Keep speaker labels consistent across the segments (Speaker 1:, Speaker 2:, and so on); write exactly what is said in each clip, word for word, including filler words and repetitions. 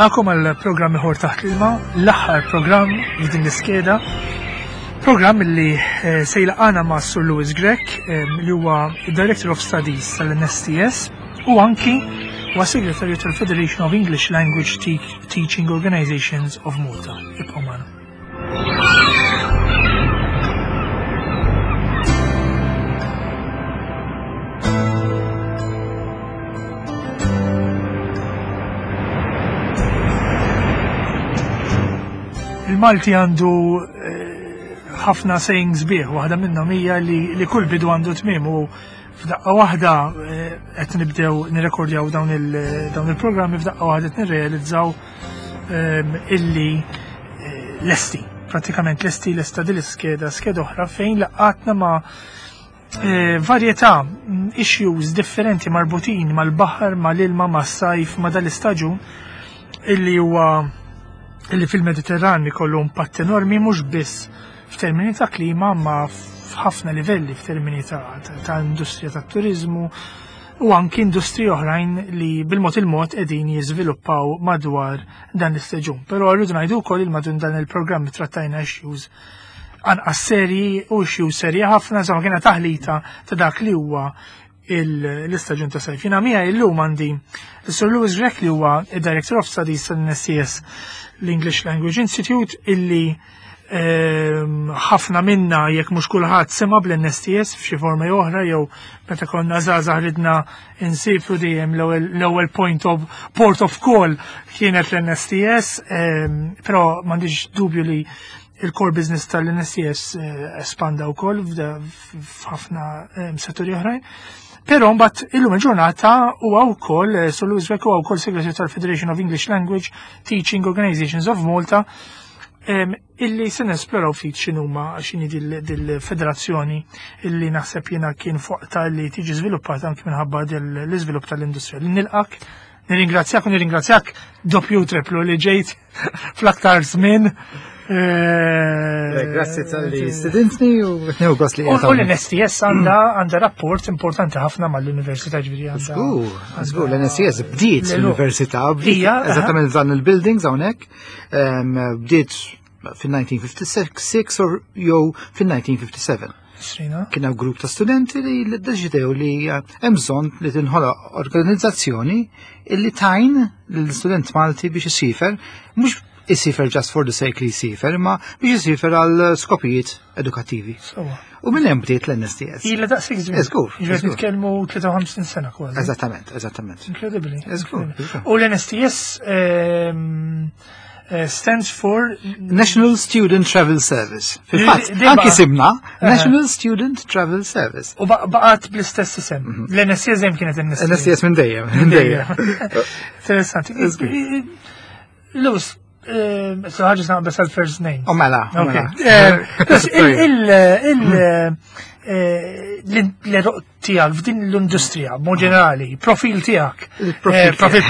Speaker 1: Nilqakom għal programm ieħor taħt l-ilma, l-aħħar programm f'din l-iskeda. Programm li eh, se jilqana ma' Sur Louis Grech, eh, li huwa Director of Studies tal-N S T S u anki huwa Segretarju tal-Federation of English Language Te Teaching Organizations of Malta. Ibqgħu magħna. Il-Malti għandu eh, ħafna sayings bieħ, waħda minnhom hija li, li kull bidu għandu tmiem u f'daqqa waħda eh, qed nibdew nirrekordjaw dawn il-programmi, f'daqqa waħda qed nirrealizzaw ehm, illi eh, lesti, pratikament lesti lesta din l-iskeda, skeda oħra fejn laqatna ma' varjetà mm, issues differenti marbutin mal-baħar, mal-ilma, mas-sajf, ma' dal-istaġun illi huwa illi fil-Mediterran ikollu impatt enormi, mhux biss f'termini ta' klima ma f'ħafna livelli, f'termini ta', ta, ta industrija tat turizmu u anki industriji oħrajn li bil-mod il-mod qegħdin jiżviluppaw madwar dan l-istaġun. Però rridu ngħidu wkoll il madwar dan il-programm trattajna issues anqas serji u issues serji ħafna, insomma kiena taħlita ta' dak li huwa l-istaġun ta' sajf. Jiena miegħi illum għandi Sir Louis Grech, li huwa id-Director of Studies tal-N S T S, l-English Language Institute, illi ehm, ħafna minna, jekk mhux kulħadd, sema bl-N S T S f'xi forma jew oħra, jew meta konna żgħażagħ ridna insifru, dejjem l-ewwel point of port of call kienet l-N S T S, ehm, però m'għandix dubju li il-core business tal-N S T S eh, espanda wkoll f'ħafna ehm, setturi oħrajn. Però mbagħad illum il-ġurnata huwa wkoll eh, Sir Louis Grech huwa wkoll segretarju tal-Federation of English Language Teaching Organizations of Malta, illi se nesploraw ftit x'inhuma, x'inhi dil-federazzjoni illi naħseb jiena kien fuqta li tiġi żviluppata anki minħabba l-iżvilupp tal-industrija. Nilqak, nirringrazzjak u nirringrazzjak doppju triplu li ġejt fl-aktar żmien.
Speaker 2: Eh, grazzi talli stedintni u nieħu gost li
Speaker 1: U l-N S T S għandha għandha rapport importanti ħafna mal-Università, ġifieri għandha.
Speaker 2: Żgur, żgur, l-N S T S bdiet l-Università, bdiet eżattament dan il-buildings hawnhekk, bdiet fil-elf disa' mija u sitta u ħamsin or jew fil-elf disa' mija u sitta u sebgħin. Kien hemm grupp ta' studenti li ddeċidew li eh, hemm bżonn li tinħoloq organizzazzjoni illi tgħin lill-student Malti biex isifer, mhux isifer just for the sake li jisifer, ma biex isifer għal skopijiet edukattivi. U minn hemm bdiet l-N S T S.
Speaker 1: Ila daqshekk żmien.
Speaker 2: Żgur.
Speaker 1: Ġifieri nitkellmu tlieta u ħamsin sena kważi.
Speaker 2: Eżattament, eżattament.
Speaker 1: Incredibly.
Speaker 2: Żgur.
Speaker 1: U l-N S T S ehm, eh, stands for
Speaker 2: National Student Travel Service. Fil-fatt, anki simna National Student Travel Service.
Speaker 1: U baqgħet bl-istess isem. Mhm. L-N S T S dejjem kienet N S T S.
Speaker 2: N S T S minn dejjem, minn dejjem.
Speaker 1: Interessanti. Lewis, so ħaġa naqbes għal first name.
Speaker 2: Oh, mela.
Speaker 1: L-eruq tiegħek f'din l-industrija, mod ġenerali, profil tiegħek. Profil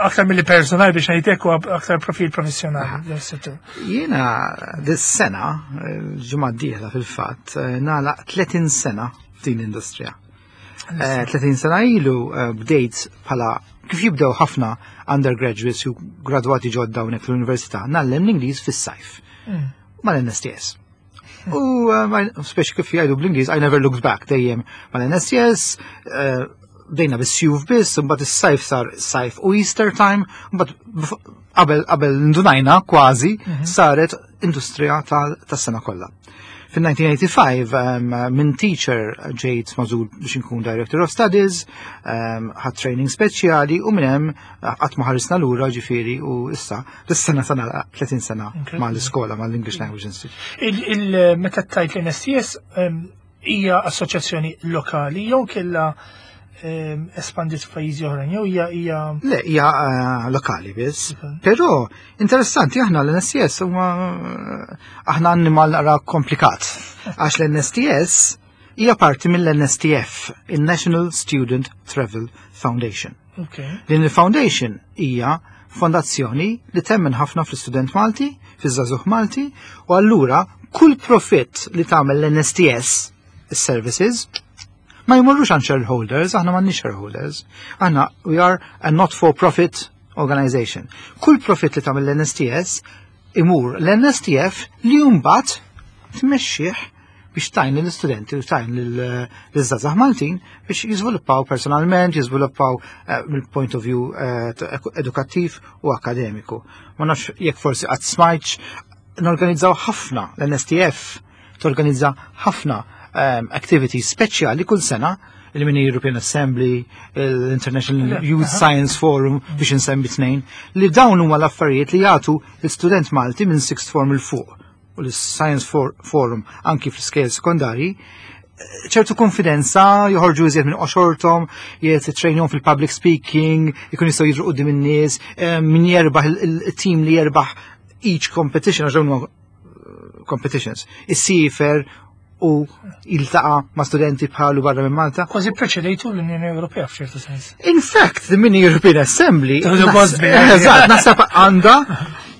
Speaker 1: aktar mill personali biex ngħidlek u aktar profil professjonali.
Speaker 2: Jiena dis-sena, ġimgħa d-dieħla fil-fatt, nagħlaq tletin sena f'din l-industrija. tletin sena ilu bdejt bħala kif jibdew ħafna undergraduates u gradwati ġodda hawnhekk fl-università, ngħallem l-Ingliż fis-sajf. Mm. Mal-N S T S. U uh, speċi kif jgħidu bl-Ingliż, I never looked back, dejjem mal-N S T S, uh, bdejna bis-sjuf biss, mbagħad is-sajf sar sajf u Easter time, mbagħad qabel qabel ndunajna kważi mhm. saret industrija tas-sena kollha. Fil-elf disa' mija u ħamsa u tmenin um, minn teacher ġejt magħżul biex nkun Director of Studies, um, ħadt training speċjali u minn hemm qatt ma ħarisna lura, ġifieri, u issa dis-sena sena tletin sena mal-iskola, mal-English Language Institute.
Speaker 1: Il-meta tajt l-N S T S um, hija assoċjazzjoni lokali jew kella espandiet f'pajjiżi oħrajn jew hija hija
Speaker 2: Le, hija eh, lokali biss. Però interessanti, aħna l-N S T S huma, aħna annimal naqra komplikat. Għax l-N S T S hija parti mill-N S T F, il-National Student Travel Foundation. Din il-foundation hija fondazzjoni li temmen ħafna fl-student Malti, fiż-żagħżugħ Malti, u allura kull profitt li tagħmel l-N S T S, is-services, ma jmorrux għand shareholders, aħna m'għandniex shareholders. Aħna we are a not-for-profit organization. Kull profit li tagħmel l-N S T S imur l-N S T F li mbagħad tmexxih biex tgħin l-istudenti u tgħin l-żgħażagħ Maltin biex jiżviluppaw personalment, jiżviluppaw eh, mill-point of view eh, edukattiv u akademiku. Ma nafx jekk forsi qatt smajtx, norganizzaw ħafna, l-N S T F torganizza ħafna um, activities speċjali kull sena, il-Mini European Assembly, l-International Youth Science Forum, biex insemmi tnejn, li dawn huma l-affarijiet li jagħtu l-student Malti minn sixth form 'il fuq u l-Science Forum anki fl-iskejjel sekondari ċertu konfidenza, joħorġu iżjed minn qoxorthom, jittrejnjahom fil-public speaking, ikun jistgħu jidhru quddiem in-nies, eh, min jerbaħ, il-team li jerbaħ each competition, għax dawn huma competitions, issiefer u jiltaqa' ma' studenti bħalu barra minn Malta.
Speaker 1: Kważi preċedejtu l-Unjoni Ewropea f'ċertu sens.
Speaker 2: In fact, the Mini European Assembly, eżatt, naħseb għandha,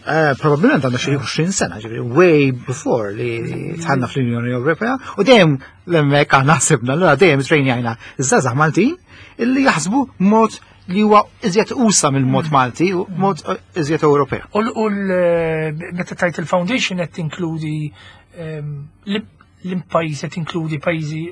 Speaker 2: eh, probabbilment għandha xi għoxrin sena, ġifieri way before li dħalna fl-Unjoni Ewropea, u dejjem hemmhekk aħna ħsibna, allura dejjem trejnjajna iż-żgħażagħ Maltin illi jaħsbu mod li huwa iżjed usa' mill-mod Malti u mod iżjed Ewropea.
Speaker 1: U meta tajt il-foundation qed tinkludi l-pajjiż, qed tinkludi pajjiżi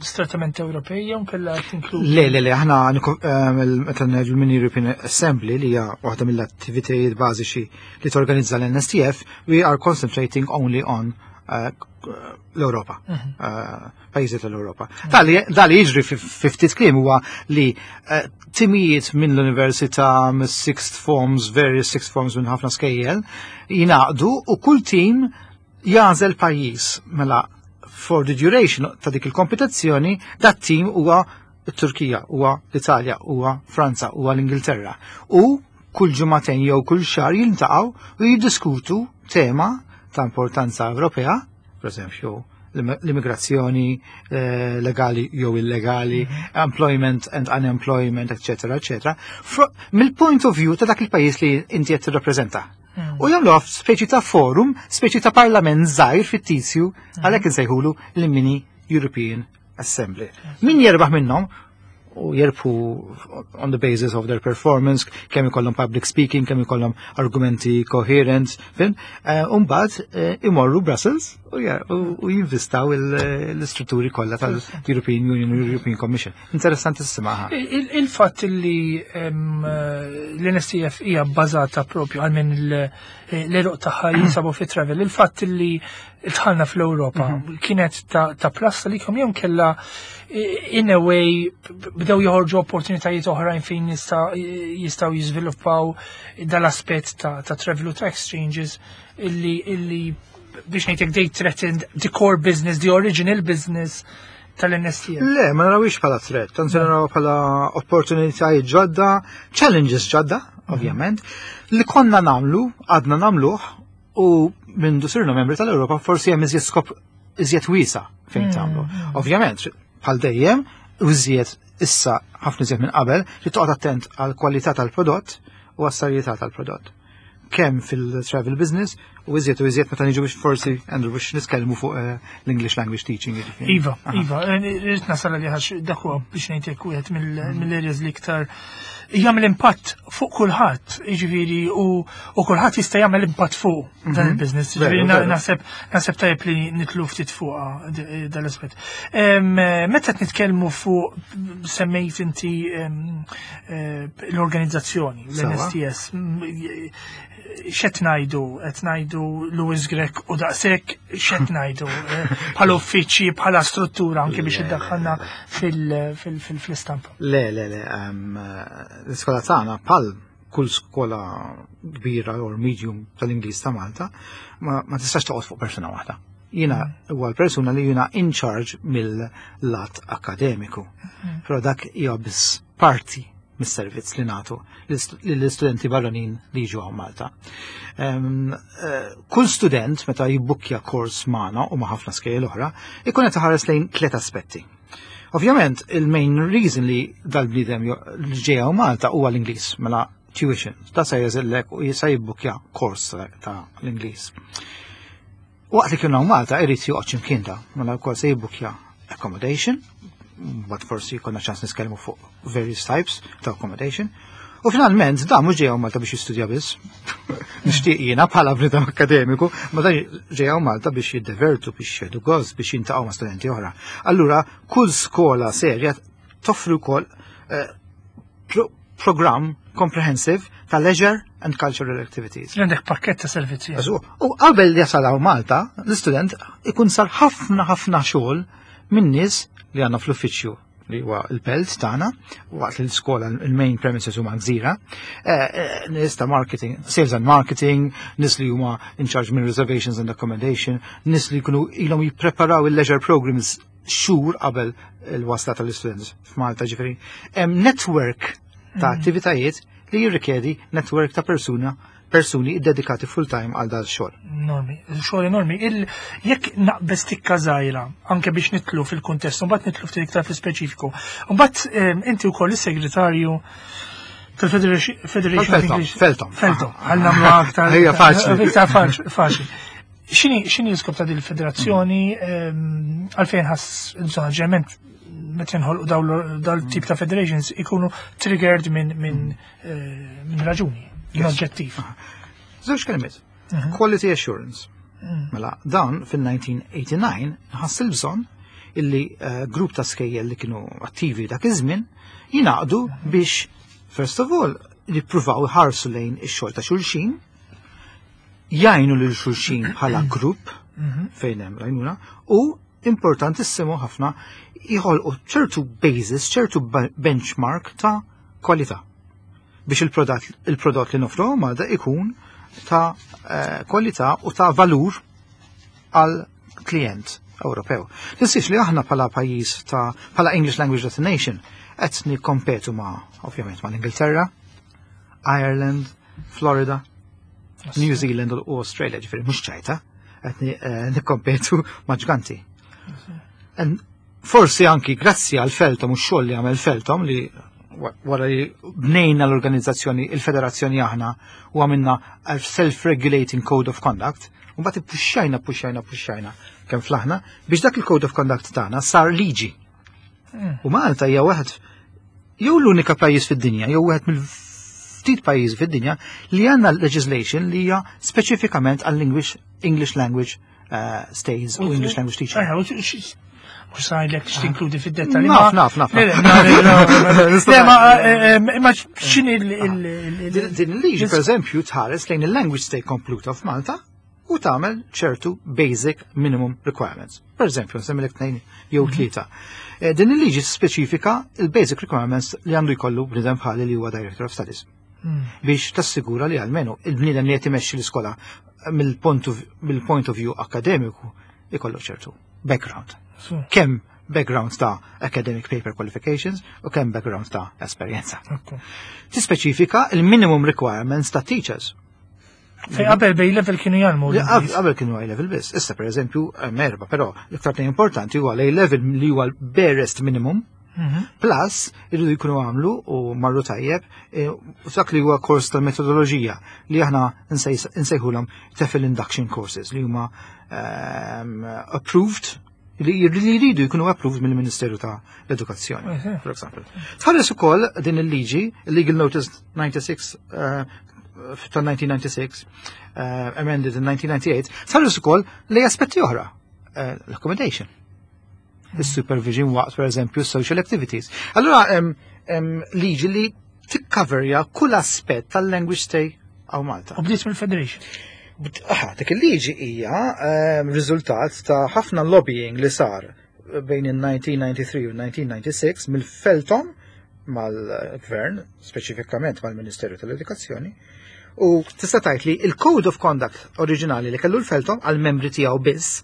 Speaker 1: strettament Ewropej jew kellha tinkludi?
Speaker 2: Le, le, le, aħna meta ngħidu l-Mini European Assembly, li hija waħda mill-attivitajiet bażiċi li torganizza l-N S T F, we are concentrating only on uh, l-Europa, mhm. uh, pajjiżi tal-Europa. Dali jiġri fi ftit kliem huwa li uh, timijiet minn l-università, mis-sixth forms, various sixth forms minn ħafna skejjel, jingħaqdu u kull team jagħżel pajjiż. Mela for the duration ta' dik il-kompetizzjoni, dat team huwa t-Turkija, huwa l-Italja, huwa Franza, huwa l-Ingilterra. U kull ġimagħtejn jew kull xahar jiltaqgħu u jiddiskutu tema ta' importanza Ewropea, per eżempju l-immigrazzjoni eh, legali jew illegali, mhm. employment and unemployment, eccetera, eccetera, mill-point of view ta' dak il-pajjiż li inti qed tirrappreżenta. Mm. U jagħmlu speċi ta' forum, speċi ta' parlament żgħir fittizju, mm. għalhekk insejħulu l-Mini European Assembly. Min jerbaħ minnhom, u jerbħu on the basis of their performance, kemm ikollhom public speaking, kemm ikollhom argumenti coherent, fin, uh, Umbagħad uh, imorru Brussels u u jinvistaw l-istrutturi kollha tal-European Union u European Commission. Interessantissima.
Speaker 1: Il-fatt li l-N S T F hija bbażata propju għal minn l-għeruq tagħha jinsabu fi travel, il-fatt li dħalna fl-Ewropa mhm. kienet ta' plus li kom jew kella in a way bdew joħorġu opportunitajiet oħrajn fejn jistgħu jiżviluppaw dal-aspett ta' travel u ta' exchanges illi illi biex ngħidlek they threatened the core business, the original business tal-N S T F?
Speaker 2: Le, ma narawix bħala threat, anzi naraw bħala opportunitajiet ġodda, challenges ġodda, ovvjament, li konna nagħmlu, għadna nagħmluh, u minn sirna membri tal-Ewropa forsi hemm iżjed skop iżjed wiesa' fejn mm, tagħmlu. Mm. Ovvjament, bħal dejjem, iżjed issa, ħafna iżjed minn qabel, li toqgħod attent għal kwalità tal-prodott u għas-serjetà tal-prodott. Kemm fil-travel business u iżjed u iżjed meta niġu biex forsi, Andrew, biex nitkellmu fuq eh, l-English language teaching.
Speaker 1: Iva, iva, eh, irrid nasal li għax dak huwa biex ngħidlek wieħed mill-areas li iktar jagħmel impatt fuq kulħadd, jiġifieri u kulħadd jista' jagħmel impatt fuq dan mhm. il-business. Jiġifieri naħseb naħseb tajjeb li nidħlu ftit fuq dal-aspett. Meta qed nitkellmu fuq, semmejt inti eh, l-organizzazzjoni, l-N S T S, x'qed ngħidu? Qed ngħidu Louis Grech u daqshekk, x'qed ngħidu? Eh, bħala uffiċċji, bħala struttura, anke biex iddaħħalna fil-istampa.
Speaker 2: Le, le, le, l-iskola tagħna, bħal kull skola kbira or medium tal-Ingliż ta' Malta, ma tistax toqgħod fuq persuna waħda. Jiena huwa l-persuna li jiena in charge mill-lat akademiku. Mm. Però dak hija biss parti mis-servizz li nagħtu lill-istudenti barranin li jiġu hawn Malta. Eh, kull student meta jibbukkja kors magħna u ma' ħafna skejjel oħra, ikun qed iħares lejn tliet aspetti. Ovvjament, il-main reason li dal-bniedem li ġej Malta huwa l-Ingliż, mela tuition. Da se jagħżillek u jista' jibbukkja kors ta' l-Ingliż. Waqt li kienu Malta irid joqgħod x'imkien da, mela wkoll se jibbukkja accommodation, but forsi jkollna ċans nitkellmu fuq various types ta' accommodation, U finalment, da mhux ġejjaw Malta biex jistudja biss. Nixtieq jiena bħala bniedem akademiku, ma dan ġejjaw Malta biex jiddevertu, biex jieħdu gost, biex jiltaqgħu ma' studenti oħra. Allura, kull skola serja toffri wkoll eh, pro program comprehensive ta' leisure and cultural activities.
Speaker 1: Għandek pakket ta' servizzi.
Speaker 2: U qabel jasalaw Malta, l-istudent ikun sar ħafna ħafna xogħol minn nies li għandna fl-uffiċċju li huwa il-Belt tagħna, waqt li l-iskola il-main premises huma Gżira, eh, eh, nies ta' marketing, sales and marketing, nies li huma in charge minn reservations and accommodation, nies li jkunu ilhom jippreparaw il-leisure programs xhur qabel il-wasla tal-istudents f'Malta ġifieri. Hemm network ta' attivitajiet li jirrikjedi network ta' persuna persuni dedikati full-time għal dal xogħol.
Speaker 1: Enormi, xogħol enormi. Il, jekk naqbeż tikka żgħira, anke biex nidħlu fil-kuntest, mbagħad nidħlu ftit iktar fil-speċifiku. Mbagħad em, inti wkoll is-segretarju tal-Federation Federation of
Speaker 2: Feltom,
Speaker 1: English.
Speaker 2: Feltom.
Speaker 1: Feltom, ħalli nagħmlu aktar.
Speaker 2: Hija faċli.
Speaker 1: Iktar faċ- faċli. X'inhi x'inhi l-iskop ta' din il-federazzjoni em, għalfejn ħass il-bżonn ġeneralment meta jinħolqu dawn dal-tip ta' federations ikunu triggered minn minn eh, minn raġuni, minn oġġettiv.
Speaker 2: Żewġ kelmiet. Quality assurance. Mela, dan fil-elf disa' mija u tmienja u disgħin ħass il-bżonn illi eh, grupp ta' skejjel li kienu attivi dak iż-żmien jingħaqdu biex first of all jippruvaw iħarsu lejn ix-xogħol ta' xulxin, jgħinu lil xulxin bħala grupp fejn hemm l-għajnuna u importantissimu ħafna jħolqu ċertu basis, ċertu ba- benchmark ta' kwalità biex il-prodott il-prodott li nofru Malta ikun ta' eh, kwalità u ta' valur għal klient Ewropew. Tinsiex li aħna bħala pajjiż ta' bħala English Language Destination qed nikkompetu ma' ovvjament ma' l-Ingilterra, Ireland, Florida, New Zealand u Australia, ġifieri mhux ċajta, qed ni- eh, nikkompetu ma' ġganti. En forsi anki grazzi għal Feltom u x-xogħol li għamel Feltom li wa- wara li bnejna l-organizzazzjoni, il-federazzjoni aħna u għamilna self-regulating code of conduct, u mbagħad puxxajna, puxxajna, puxxajna kemm flaħna biex dak il-code of conduct tagħna sar liġi. U Malta hija wieħed jew l-unika pajjiż fid-dinja, jew wieħed mill-ftit pajjiż fid-dinja li għandna legislation li hija speċifikament għall English English language uh, stays u English language teaching.
Speaker 1: Eħe, u x- mhux ngħidlek x'tinkludi fid-dettalji.
Speaker 2: Naf, naf, naf.
Speaker 1: Le, le, le, le, le, le, ma eh, eh, imma x'inhi il- il- il-
Speaker 2: Din din il-liġi, per eżempju, tħares lejn il-language stay kompluta f'Malta u tagħmel ċertu basic minimum requirements. Per eżempju, nsemmilek tnejn jew tlieta. Eh, Din il-liġi speċifika il-basic requirements li għandu jkollu bniedem bħali li huwa Director of Studies. Biex tassigura li almenu il-bniedem li qed imexxi l-iskola mill-point of, mill-point of view akademiku ikollu ċertu background.
Speaker 1: Su,
Speaker 2: Kemm background ta' academic paper qualifications u kemm background ta' esperjenza.
Speaker 1: ekku.
Speaker 2: Tispeċifika il-minimum requirements ta' teachers.
Speaker 1: Fej qabel b'A level kienu jgħallmu.
Speaker 2: Li qab- Qabel kienu A level biss. Issa per eżempju hemm erba, però l-iktar tnejn importanti huwa l-A level li huwa l-barest minimum plus irridu jkunu għamlu u marru tajjeb eh, dak li huwa kors tal-metodoloġija li aħna nsejs- nsejħulhom TEFL induction courses li huma ehm, approved li li jridu jkunu approved mill-Ministeru ta' l-Edukazzjoni,
Speaker 1: Mhm.
Speaker 2: for example. Tħares ukoll din il-liġi, Legal Notice disgħa u disgħin eh, ta' elf disa' mija u disgħa u disgħin, eh, amended in nineteen ninety-eight, tħares ukoll li aspetti oħra, eh, l-accommodation il-supervision waqt, per eżempju, social activities. Allora, hemm hemm liġi li tikkaverja kull aspett tal-language stay hawn Malta.
Speaker 1: U bdiet mill-Federation.
Speaker 2: Bd- Aha, dik il-liġi hija ehm, riżultat ta' ħafna lobbying li sar bejn il-elf disa' mija u tnejn u disgħin u elf disa' mija u disgħa u disgħin mill-Feltom mal-Gvern, speċifikament mal-Ministeru tal-Edukazzjoni, u tista' tgħid li il-Code of Conduct oriġinali li kellu l-Feltom għal-membri tiegħu biss,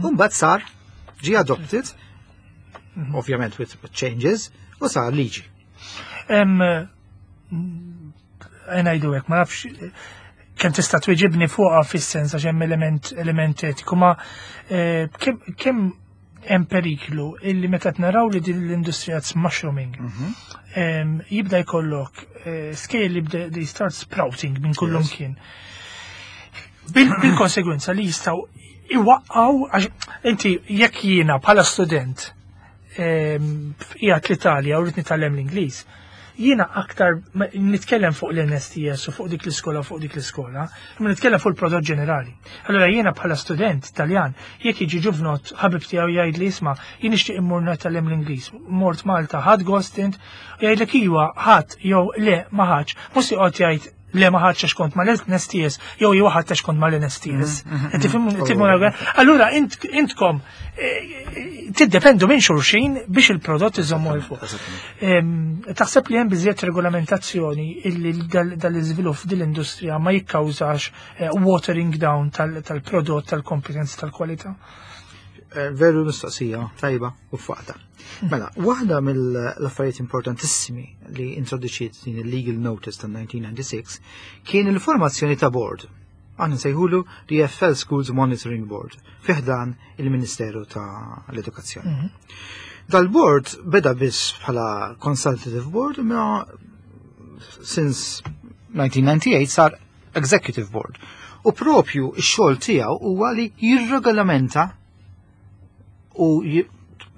Speaker 2: u mbagħad sar ġi adopted, ovvjament with changes, u sar liġi.
Speaker 1: Em, ngħidu hekk, ma nafx kemm tista' tweġibni fuqha fis-sens għax hemm element element etiku, ma eh, kemm kemm hemm periklu illi meta naraw li din l-industrija mushrooming em, jibda jkollok eh, skejjel li jibda they start sprouting minn kullum
Speaker 2: Yes.
Speaker 1: kien. Bil- Bil-konsegwenza li jistgħu iwaqqaw għax inti jekk jiena bħala student em, qiegħed l-Italja u rrid nitgħallem l-Ingliż, Jiena aktar ma- nitkellem fuq l-N S T S u fuq dik l-iskola u fuq dik l-iskola, imma nitkellem fuq il-prodott ġenerali. Allora jiena bħala student Taljan, jekk jiġi ġuvnot ħabib tiegħu jgħid li isma' jien nixtieq immur nitgħallem l-Ingliż. Mort Malta, ħadt gost int, u jgħidlek iwa ħadd jew le ma ħadx, mhux joqgħod jgħid le ma ħadx għax kont mal-N S T S jew jew ħadd għax kont mal-N S T S. Tifhmu tifhmu Allura int- intkom eh, tiddependu minn xulxin biex il-prodott iżommu 'l fuq. Em, Taħseb li hemm biżjed regolamentazzjoni illi dal- dal-iżvilupp dil-industrija ma jikkawżax eh, watering down tal- tal-prodott, tal-kompetenza, tal-kwalità?
Speaker 2: Eh, Veru mistoqsija, tajba u f'waqtha. Mela, waħda mill-affarijiet importantissimi li introduċiet din il-Legal Notice tal-elf disa' mija u disgħa u disgħin kien il-formazzjoni ta' board. Aħna nsejħulu l E F L Schools Monitoring Board fi ħdan il-Ministeru ta' l-Edukazzjoni. Dal-board beda biss bħala consultative board, imma since nineteen ninety-eight sar executive board. U propju ix-xogħol tiegħu huwa li jirregolamenta u ji-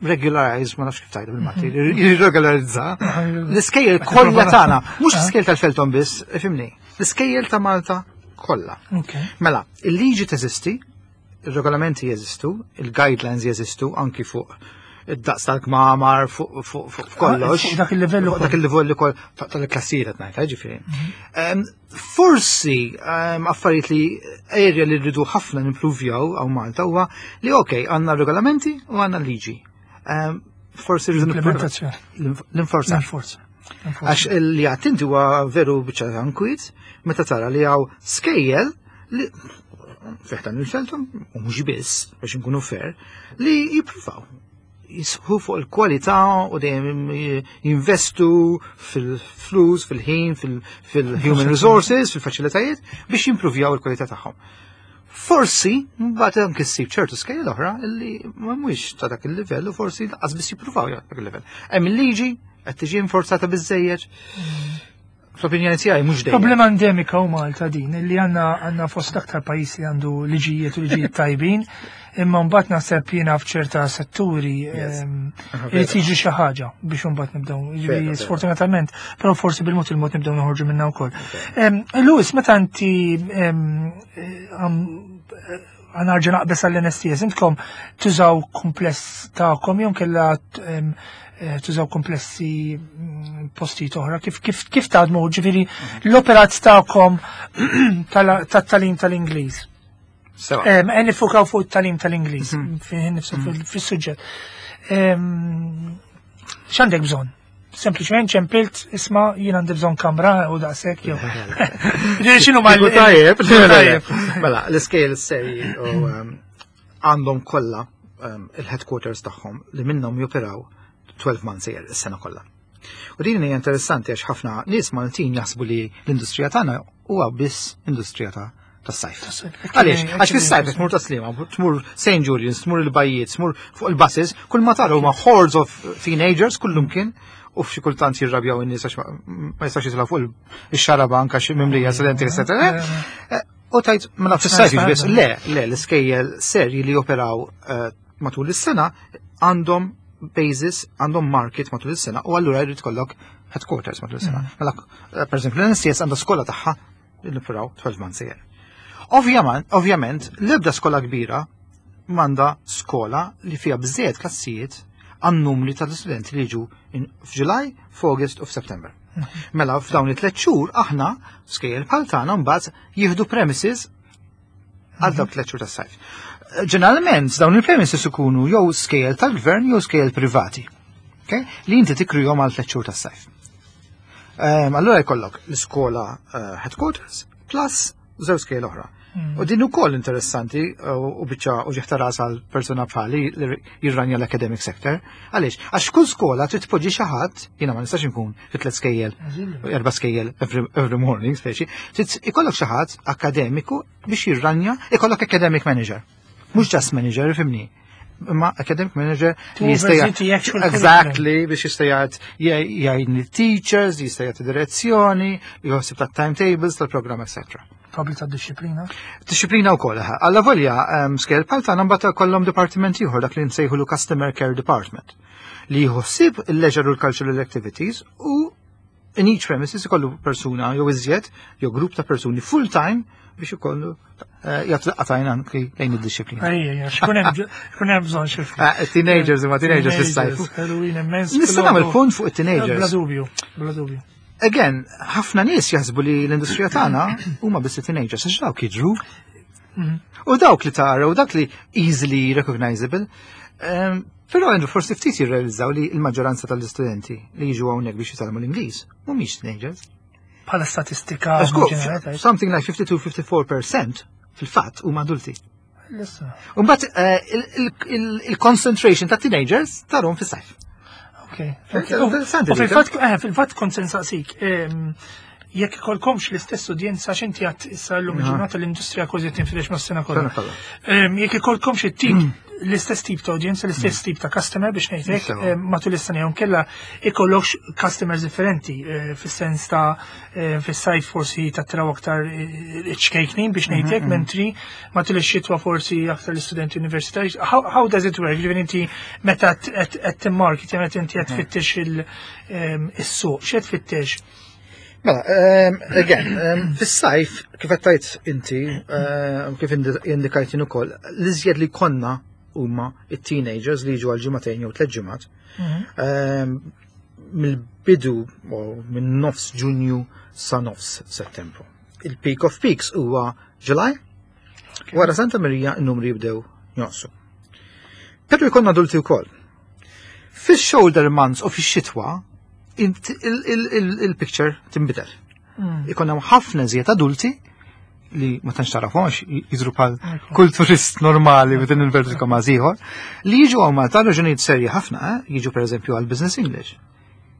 Speaker 2: regularize, ma nafx kif tgħidu bil-Malti, jirregolarizza l-iskejjel kollha tagħna, mhux l-iskejjel tal-Felton biss, ifhimni, l-iskejjel ta' Malta kollha.
Speaker 1: Ok.
Speaker 2: Mela, il-liġi teżisti, il-regolamenti jeżistu, il-guidelines jeżistu anki fuq id-daqs tal-kmamar, fuq fuq fuq kollox.
Speaker 1: Fuq dak il-livell
Speaker 2: Fuq
Speaker 1: ukoll.
Speaker 2: dak il-livell ukoll ta- tal-klassijiet qed ngħid, ġifieri. Em, Forsi em, affarijiet li area li rridu ħafna nimpruvjaw hawn Malta huwa li ok, għandna regolamenti u għandna liġi. Em, Forsi rridu
Speaker 1: Implementazzjoni.
Speaker 2: L-inforzar.
Speaker 1: L-inforza.
Speaker 2: Għax li għattinti huwa veru biċċa nkwiet meta tara li hawn skejjel li fi ħdan il-Felton, u mhux biss, biex nkunu fair, li jippruvaw jisħu fuq il-kwalità u dejjem jinvestu fil-flus, fil-ħin, fil-human resources, fil-faċilitajiet biex jimpruvjaw il-kwalità tagħhom. Forsi, mbagħad anke ssib ċertu skejjel oħra li ma mhuwiex ta' dak il-livell u forsi lanqas biss jippruvaw dak il-livell. Hemm il-liġi qed tiġi inforzata biżejjed. Fl-opinjoni tiegħi mhux dejjem.
Speaker 1: Problema endemika u Malta din, li għandna għandna fost aktar pajjiż li għandu liġijiet u liġijiet tajbin, imma mbagħad naħseb jiena f'ċerta setturi ehm, irid jiġi xi ħaġa biex imbagħad nibdew. Jiġifieri
Speaker 2: Vera, vera.
Speaker 1: sfortunatament, però forsi bil-mod il-mod nibdew noħorġu minna wkoll. Ehm, Louis, meta inti ehm, ħa nerġa' naqbeż għall-N S T S, intkom tużaw kumpless tagħkom jew kella ehm, eh, tużaw komplessi mm, postijiet oħra, kif kif kif taħdmu, ġifieri l-operat tagħkom tat-tagħlim tal-Ingliż?
Speaker 2: Sewa.
Speaker 1: Em, Qed nifukaw fuq it-tagħlim tal-Ingliż, fih nifsu fis-suġġett. Em, X'għandek bżonn? Sempliċement ċempilt, isma' jien għandi bżonn kamra u daqshekk jew. Ġifieri x'inhu mal-
Speaker 2: Kieku tajjeb,
Speaker 1: Tajjeb.
Speaker 2: Mela, l-iskejjel seri u um, għandhom kollha um, il-headquarters tagħhom li minnhom joperaw twelve months a year, is-sena kollha. U din hija interessanti għax ħafna nies Maltin jaħsbu li l-industrija tagħna huwa biss industrija ta' tas-sajf. Għaliex? Għax fis-sajf tmur Tas-Sliema, tmur Saint Julian's, tmur il-bajjiet, tmur fuq il-buses, kull ma tara huma hordes of teenagers kullum kien u f'xi kultant jirrabjaw in-nies għax ma ma jistax jitilgħu fuq ix-xarabank għax mimlija studenti, eccetera. Eh, U tajt, mela fis-sajf biss, le, le, l-iskejjel serji li joperaw eh, matul is-sena għandhom basis, għandhom market matul is-sena u allura jrid ikollok headquarters matul is-sena. Mela, eh, per eżempju, l-N S T S għandha skola tagħha li noperaw twelve months a year. Ovvjament, ovvjament, l-ebda skola kbira m'għandha skola li fiha biżejjed klassijiet għan-numri tal-studenti li jiġu in- f'July, f'August u f'September. Mela f'dawn it-tliet xhur aħna skejjel bħal tagħna mbagħad jieħdu premises għal dawk tliet xhur tas-sajf. Ġeneralment dawn il-premises ikunu jew skejjel tal-gvern jew skejjel privati. Okay? Li inti tikrihom għal tliet xhur tas-sajf. Um, allura jkollok l-iskola uh, headquarters plus żewġ skejjel oħra. U din ukoll interessanti u u biċċa u ġieħ ta' ras għal persuna bħali li jirranja l-academic sector. Għaliex? Għax kull skola trid tpoġġi xi ħadd, jiena ma nistax inkun fi tliet skejjel, erba' skejjel every, every morning, speċi, trid ikollok xi ħadd akademiku biex jirranja, ikollok academic manager. Mhux just manager, ifhimni. Imma academic manager
Speaker 1: To
Speaker 2: li jista'
Speaker 1: oversee the actual
Speaker 2: Exactly, biex jista' jgħid jgħin il-teachers, jista' jagħti direzzjoni, jħossib tat-timetables, tal-programm, et cetera
Speaker 1: Probably ta' disciplina.
Speaker 2: Disciplina wkoll. Alla volja um, skejjel bħal tagħna mbagħad kollhom departiment ieħor, dak li nsejħulu Customer Care Department, li jħossib il-leisure u l-cultural activities u In each premises ikollu persuna jew iżjed, jew grupp ta' persuni full time biex ikollu eh, jagħtu daqqa t'għajn anki lejn id-dixxiplina.
Speaker 1: Ejja, x'ikun hemm x'ikun hemm bżonn xi ftit.
Speaker 2: Ah, teenagers imma teenagers fis-sajf.
Speaker 1: Halloween immens.
Speaker 2: Nista' nagħmel punt fuq
Speaker 1: Bla
Speaker 2: it-teenagers.
Speaker 1: dubju, bla dubju.
Speaker 2: Again, ħafna nies jaħsbu li l-industrija tagħna huma biss teenagers, għax dawk jidru. U dawk li tara, u dawk li easily recognizable. Um, Però għandu forsi ftit jirrealizzaw li l-maġġoranza tal-istudenti li jiġu hawnhekk biex jitgħallmu l-Ingliż mhumiex teenagers.
Speaker 1: Bħala statistika
Speaker 2: Żgur,
Speaker 1: ġenerali.
Speaker 2: something like fifty-two fifty-four percent fil-fatt huma adulti.
Speaker 1: Issa.
Speaker 2: Mbagħad eh, il- il- il-concentration ta' teenagers tarahom fis-sajf.
Speaker 1: Ok. Ok.
Speaker 2: Interessanti
Speaker 1: U
Speaker 2: dik,
Speaker 1: fil-fatt, eh, fil-fatt kont se nsaqsik, em, jekk ikolkomx l-istess udjenza, x'inti għat issa llum il-ġurnata l-industrija kważi tinfirex mas-sena kollha.
Speaker 2: Sena kollha.
Speaker 1: Em, Jekk ikolkomx it-tip, l-istess tip ta' udjenza, l-istess tip ta' customer biex ngħidlek,
Speaker 2: Sewa.
Speaker 1: em, matul is-sena jew kella ikollokx customers differenti, eh, fis-sens ta' eh, fis-sajf forsi tattraw aktar eh, ċkejknin biex ngħidlek, mentri matul ix-xitwa forsi aktar l-istudenti universitari. How, how does it work? Ġifieri inti meta qed qed timmarket, meta inti qed tfittex il- em, is-suq, x'qed tfittex?
Speaker 2: Mela, um, again, um, fis-sajf, kif qed tgħid inti, um, kif indi- indikajt jien ukoll, l-iżjed li konna huma it-teenagers li jiġu għal ġimagħtejn jew tliet ġimgħat. Um, mill-bidu u minn nofs Ġunju sa nofs Settembru. Il-peak of peaks huwa July. Wara Santa Maria n-numri jibdew jonqsu. Però jkollna adulti wkoll. Fix-shoulder months u fix-xitwa int- il- il- il- il-picture tinbidel. Ikonna ħafna iżjed adulti li ma tantx tarafhom għax jidhru bħal kull turist normali within inverted commas ieħor, li jiġu hawn Malta raġunijiet serji ħafna, eh? Jiġu per eżempju għal business English,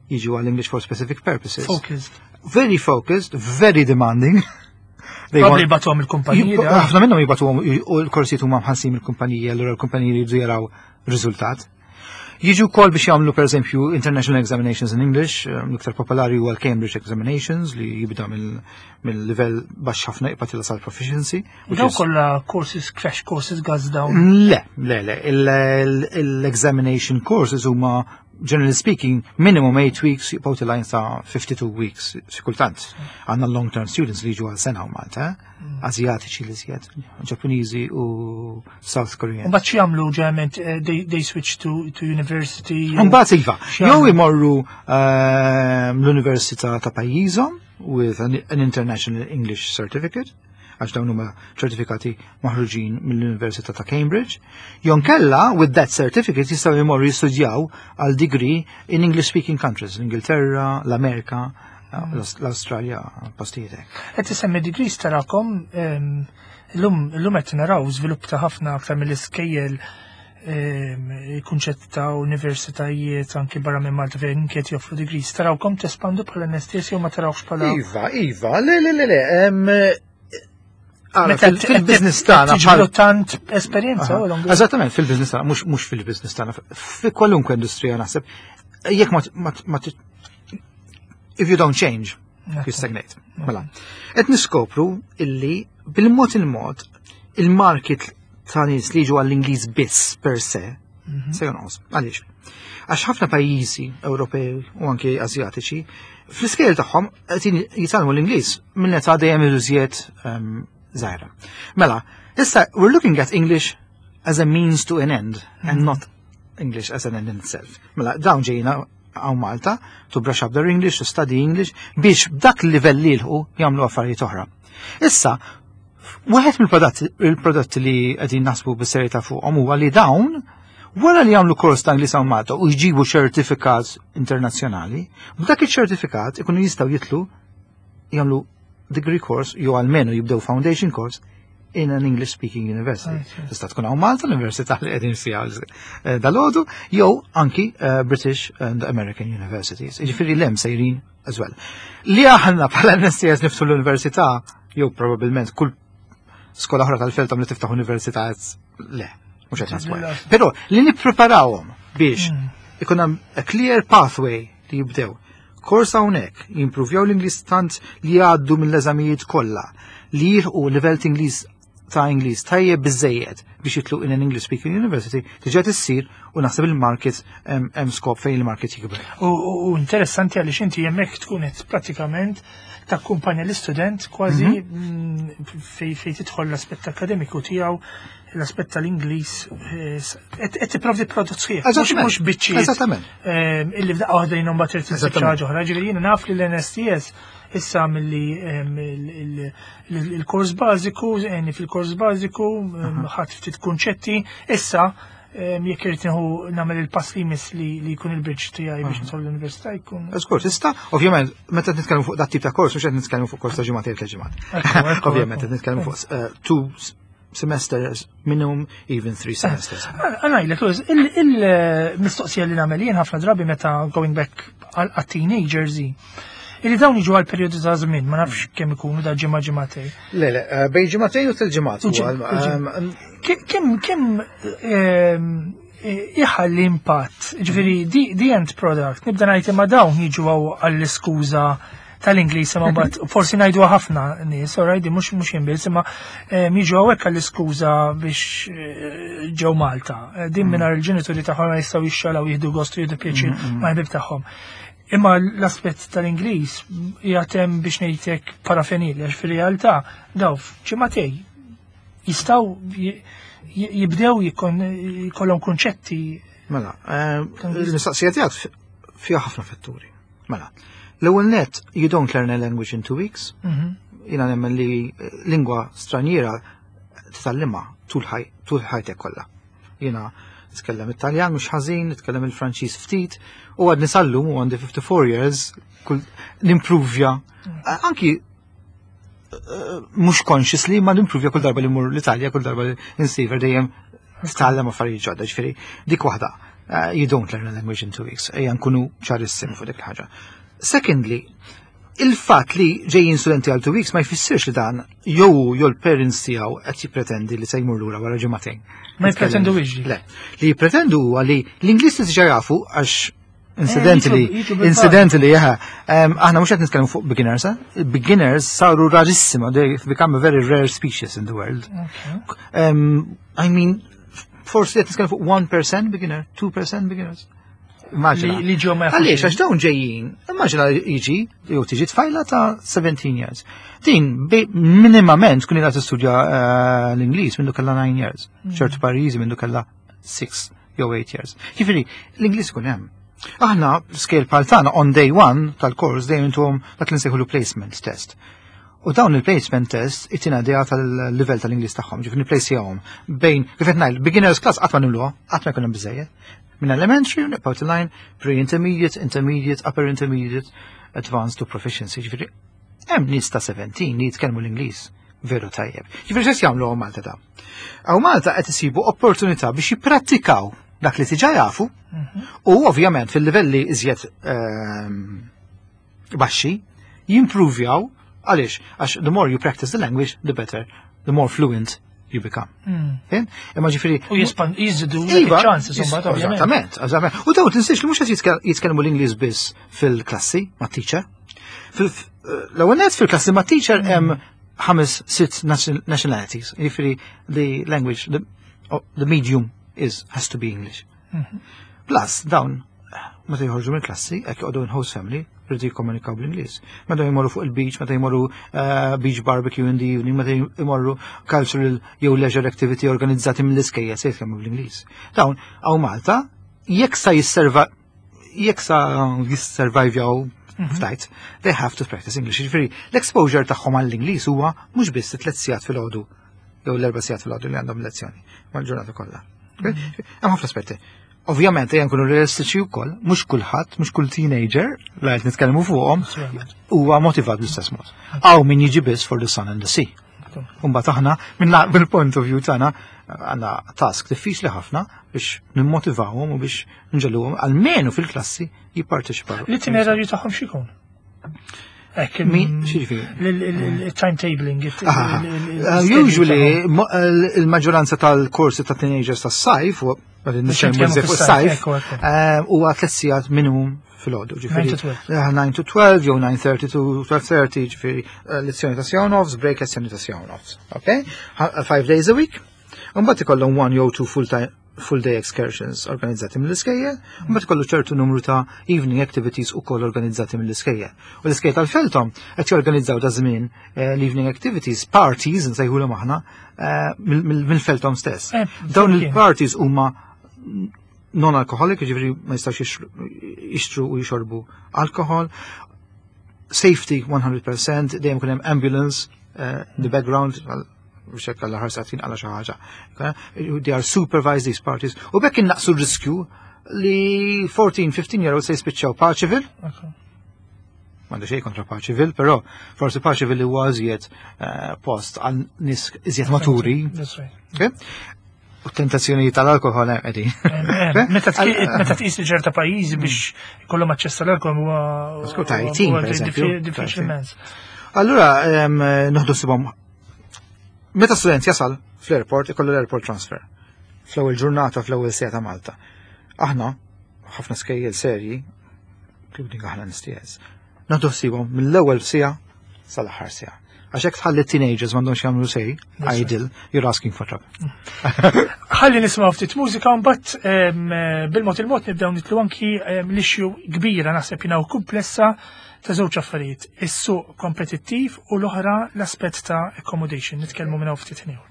Speaker 2: jiġu għal English for specific purposes.
Speaker 1: Focused.
Speaker 2: Very focused, very demanding. They
Speaker 1: Probably
Speaker 2: want-
Speaker 1: jibagħtuhom il-kumpaniji.
Speaker 2: Jib- ħafna minnhom jibagħtuhom u l-korsijiet huma mħallsin mill-kumpaniji, allura l-kumpaniji jridu jaraw riżultat. Jiġu wkoll biex jagħmlu pereżempju International Examinations in English, eh, l-iktar popolari huwa l-Cambridge Examinations li jibda mill- mill-livell baxx ħafna jibqa' sal proficiency. Which
Speaker 1: Daw
Speaker 2: is-
Speaker 1: kollha courses, crash courses, gas down.
Speaker 2: Le, le, le. Il- il- L-examination courses huma, generally speaking, minimum eight weeks, jibqgħu telgħin sa fifty-two weeks, xi kultant. Għandna long-term students li jiġu għal sena u Malta, eh? Azjatiċi li żjed, Ġappuniżi u South Korean.
Speaker 1: Mbagħad x'jagħmlu ġeneralment, eh, they, they switch to, to university.
Speaker 2: Mbagħad iva, jew
Speaker 1: X'jagħmlu?
Speaker 2: imorru ehm, l-università ta' pajjiżhom with an, an International English Certificate, għax dawn huma ċertifikati maħruġin mill-Università ta' Cambridge, jew inkella with that certificate jistgħu jmorru jistudjaw għal degree in English speaking countries, l-Ingilterra, l-Amerika, l-Australja, postijiet hekk.
Speaker 1: Qed isemmi degrees tarakom em, illum illum qed naraw żvilupp ta' ħafna aktar mill-iskejjel, em, il-kunċett ta' universitajiet anki barra minn Malta fejn kiet joffru degrees. Tarawkom tespandu bħala N S T S jew ma tarawx bħala
Speaker 2: Iva, iva, le, le, le, le, em, ara,
Speaker 1: Meta
Speaker 2: fil- fil-business tagħna bħal
Speaker 1: tiġbru tant esperjenza u long-
Speaker 2: Eżattament, fil-business tagħna, mhux mhux fil-business tagħna, fi kwalunkwe industrija naħseb, jekk ma ma ma if you don't change, you stagnate. Mela. Qed niskopru illi bil-mod il-mod il-market ta' nies li jiġu għall-Ingliż biss per se se jonqos. Għaliex? Għax ħafna pajjiżi Ewropej u anke Azjatiċi fl-iskejjel tagħhom qed jitgħallmu l-Ingliż minn età dejjem iżjed um, żgħira. Mela, issa we're looking at English as a means to an end and not English as an end in itself. Mela, dawn ġejna hawn Malta to brush up their English, to study English, biex b'dak il-livell li jilħqu jagħmlu affarijiet oħra. Issa, wieħed mill-prodotti il-prodotti li qegħdin naħsbu bis-serjetà fuqhom huwa li dawn wara li jagħmlu kors ta' Ingliż hawn Malta u jġibu ċertifikat internazzjonali, b'dak iċ-ċertifikat ikunu jistgħu jitilgħu jagħmlu degree course jew almenu jibdew foundation course in an English speaking university. Tista' tkun hawn Malta, l-università li qegħdin fiha eh, dalgħodu, jew anki eh, British and American universities. Jiġifieri l sejrin as well. Li aħna bħala N S T S niftħu l-università, jew probabbilment kull skola oħra tal-FELTOM li tiftaħ università, le, mhux qed naħsbu. Però li nippreparawhom biex ikun hemm a clear pathway li jibdew kors hawnhekk, jimpruvjaw l-Ingliż tant li jgħaddu mill-eżamijiet kollha, li jilħqu livell ta' Ingliż ta' Ingliż tajjeb biżejjed biex jitlu in an English speaking university diġà tissir u naħseb il-market hemm skop fejn il-market jikber.
Speaker 1: U interessanti għaliex inti hemmhekk tkun qed pratikament takkumpanja l-istudent kważi mhm. fej fej tidħol l-aspett akademiku tiegħu, l-aspett tal-Ingliż, qed tipprovdi prodott sħiħ. Mhux biċċiet.
Speaker 2: Eżattament.
Speaker 1: Illi f'daqqa waħda jiena mbagħad trid xi ħaġa oħra. Ġifieri jiena naf li l-N S T S issa milli il-kors bażiku, fil-kors bażiku ħadd ftit kunċetti, issa jekk irid nieħu nagħmel il-pass li jmiss li jkun il-bridge tiegħi biex nidħol l-università jkun.
Speaker 2: Żgur, tista', ovvjament, meta nitkellmu fuq dat tip ta' kors, mhux qed nitkellmu fuq kors ta' ġimgħatejn, tliet ġimgħat. Ovvjament, qed nitkellmu fuq eh, two semesters minimum, even three semesters.
Speaker 1: Għanajlek, il-mistoqsija li nagħmel jien ħafna drabi meta going back għal teenagers illi dawn jiġu għal periodu ta' żmien, ma nafx kemm ikunu da ġimgħa, ġimgħatej.
Speaker 2: Le, le, eh, bejn ġimgħatejn u tliet ġimgħat.
Speaker 1: Kemm kemm ehm, iħalli impatt, ġifieri the end product, nibda ngħid imma dawn jiġu għall-iskuża tal-Ingliż, imma mbagħad forsi ngħidu ħafna nies, alright, mhux mhux jinbiss, imma ehm, jiġu hawnhekk għall-iskuża biex eh, ġew Malta. Eh, din mm. mingħajr il-ġenituri tagħhom jistgħu jixxalaw, jieħdu gost, jieħdu pjaċir mm, mm. ma' ħbib tagħhom. Imma l-aspett tal-Ingliż jgħatem biex ngħidlek parafenil, għax fir-realtà daw ġimagħtejn jistgħu jibdew jkollhom kunċetti.
Speaker 2: Mela, eh, il-mistaqsija tiegħek fiha ħafna fatturi. Mela, l-ewwel net, you don't learn a language in two weeks. Mhm. Jiena nemmen li lingwa straniera titgħallimha tul ħajtek kollha. Jiena nitkellem Italjan mhux ħażin, nitkellem il-Franċiż ftit, u għadni sal-lum u għandi fifty-four years kull nimpruvja. Anki eh, mhux consciously ma nimpruvja kull darba li mur l-Italja, kull darba li nsiefer dejjem titgħallem affarijiet ġodda, ġifieri dik waħda. Uh, you don't learn a language in two weeks. Ejja nkunu ċarissimi fuq dik il-ħaġa. Secondly, il-fatt li ġejjin studenti għal two weeks ma jfissirx li dan jew jew l-parents tiegħu qed jippretendi li se jmur lura wara ġimagħtejn.
Speaker 1: Ma jippretendu iġi.
Speaker 2: Le, li jippretendu huwa li l-Ingliż li diġà jafu għax incidentally,
Speaker 1: jiġu bil-fatt.
Speaker 2: Incidentally, jaha, um, aħna mhux qed nitkellmu fuq beginners, eh? Beginners saru rarissima, they become a very rare species in the world. Um, I mean, forsi qed nitkellmu fuq one percent beginner, two percent beginners. Immaġina.
Speaker 1: Li li ġew ma jafux.
Speaker 2: Għaliex, għax dawn ġejjin, immaġina jiġi, jew tiġi tfajla ta' seventeen years. Din, bi- minimament, kun ilha tistudja eh, l-Ingliż mindu kellha nine years. ċertu pajjiżi mindu kellha six jew eight years. Ġifieri, l-Ingliż kun hemm. Aħna, scale bħal tagħna, on day one tal-kors dejjem intuhom dak li nsejħulu placement test. U dawn il-placement test itina idea tal-level tal-Ingliż tagħhom, ġifieri nipplacjahom bejn, kif qed ngħid, beginners class qatt ma nimluha, qatt ma jkun hemm biżejjed. Minn elementary nibqgħu line pre-intermediate, intermediate, upper intermediate, advanced to proficiency. Ġifieri hemm nies ta' seventeen li jitkellmu l-Ingliż veru tajjeb. Ġifieri x'qed jagħmlu hawn Malta da? Hawn Malta qed isibu opportunità biex jipprattikaw dak li diġà jafu u ovvjament fil-livelli iżjed ehm, baxxi jimprovjaw. Għaliex, għax the more you practice the language, the better, the more fluent you become.
Speaker 1: Mm.
Speaker 2: Fhimt? Imma ġifieri
Speaker 1: U jispan jiżidu
Speaker 2: Iva,
Speaker 1: chances imbagħad, ovvjament.
Speaker 2: Eżattament, eżattament. U daw tinsiex li mhux qed jitkell- jitkellmu l-Ingliż biss fil-klassi ma' teacher. Fil- L-ewwel nett fil-klassi ma' teacher hemm ħames sitt nation- nationalities. Jiġifieri the language, the, oh, the medium is has to be English. Plus dawn meta jħorġu mill-klassi, hekk joqogħdu in host family, rridu jikkomunikaw bl-Ingliż. Meta jmorru fuq il-beach, meta jmorru eh, beach barbecue in the evening, meta jmorru cultural jew leisure activity organizzati mill-iskejjel se jitkellmu bl-Ingliż. Dawn hawn Malta jekk sa jisserva jekk sa jisservajvjaw ftajt, they have to practice English. Ġifieri, l-exposure tagħhom għall-Ingliż huwa mhux biss tliet sigħat filgħodu jew l-erba' sigħat filgħodu li għandhom lezzjoni, mal-ġurnata kollha. Hemm ħafna aspetti. Ovvjament, ejja nkunu realistiċi wkoll, mhux kulħadd, mhux kull teenager li qed nitkellmu fuqhom huwa motivat bl-istess mod. Hawn min jiġi biss for the sun and the sea. Imbagħad aħna minn mill-point of view tagħna għandna task diffiċli ħafna biex nimmotivawhom u biex nġegħluhom almenu fil-klassi jipparteċipaw.
Speaker 1: L-itinerarju tagħhom x'ikun? Hekk
Speaker 2: Mi- x'jiġifieri?
Speaker 1: Il-timetabling.
Speaker 2: Ah, uh, Usually, mo- il-maġġoranza tal-korsi ta' teenagers tas-sajf, u għadin nitkellmu
Speaker 1: nitkellmu
Speaker 2: fuq
Speaker 1: fis-sajf,
Speaker 2: sajf,
Speaker 1: ekku, ekku.
Speaker 2: eh, huwa tliet sigħat minimum filgħodu, ġifieri nine to twelve jew nine thirty to twelve thirty, ġifieri lezzjoni ta' siegħa u nofs, break lezzjoni ta' siegħa u nofs. Okay? Five days a week. Mbagħad ikollhom one jew two full time full day excursions organizzati mill-iskejjel, mbagħad ikollu ċertu numru ta' evening activities ukoll organizzati mill-iskejjel. U l-iskejjel tal-Feltom qed jorganizzaw da żmien l-evening activities, parties nsejħulhom aħna, mill-Feltom stess. Dawn il-parties huma non-alcoholic, jiġifieri ma jistgħux jixtru u jixorbu alkohol. Safety one hundred percent, dejjem ikun hemm ambulance in the background, biex hekk għal ħarsa għala xi ħaġa. They are supervised these parties. U bekk innaqsu r-riskju li fourteen, fifteen year olds se jispiċċaw Paceville. M'għandu xejn kontra Paceville, però forsi Paceville huwa iżjed post għal nies iżjed maturi. U tentazzjoni tal-alkohol hemm qegħdin.
Speaker 1: Meta tqis li ċerta pajjiżi biex ikollhom aċċess tal-alkohol huwa diffiċli immens.
Speaker 2: Allura noħdu sibhom. Meta student jasal fl-airport, ikollu l-airport transfer. Fl-ewwel ġurnata, fl-ewwel siegħa ta' Malta. Aħna, ħafna skejjel serji, including aħna N S T S, naħdu ħsiebhom mill-ewwel siegħa sal-aħħar siegħa. Għax hekk tħalli teenagers m'għandhomx jagħmlu sej, idle, you're asking for trouble.
Speaker 1: Ħalli nisimgħu ftit mużika mbagħad bil-mod il-mod nibdew nitlu anki l-issue kbira naħseb jiena u komplessa ta' żewġ affarijiet, is-suq kompetittiv u l-oħra l-aspett ta' accommodation. Nitkellmu minn hawn ftit ieħor.